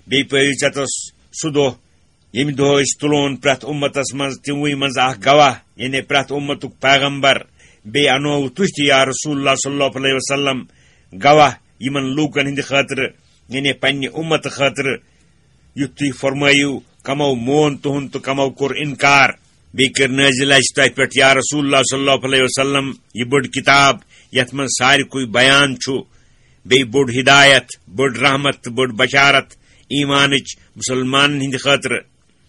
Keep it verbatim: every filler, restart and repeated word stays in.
بیٚیہِ پٲیِو ژےٚ تس سُہ دۄہ، ییٚمہِ دۄہ أسۍ تُلون پرٛٮ۪تھ اُمتس منٛز تِموٕے منٛز اکھ گواہ، یعنی پرٛٮ۪تھ اُمتُک پیغمبر۔ بیٚیہِ انووٕ تُہۍ تہِ، یا رسول اللہ صلی اللہ علیہ وسلم، گواہ یِمن لوٗکن ہٕنٛدِ خٲطرٕ، یعنی پننہِ اُمتہٕ خٲطرٕ، یُتھ تُہۍ فرمٲیِو، کمو مون تُہُنٛد تہٕ کمو کوٚر انکار۔ بیٚیہِ کٔر نٲزِل اَسہِ تۄہہِ پٮ۪ٹھ، یا رسول اللہ صلی اللہ علیہ وسلم، یہِ بٔڑ کِتاب، یَتھ منٛز ساروٕے بیان چھُ، بیٚیہِ بٔڑ ہدایت، بٔڑ رحمت تہٕ بٔڑ بشارت ایمانٕچ، مُسلمانن ہٕنٛدِ خٲطرٕ۔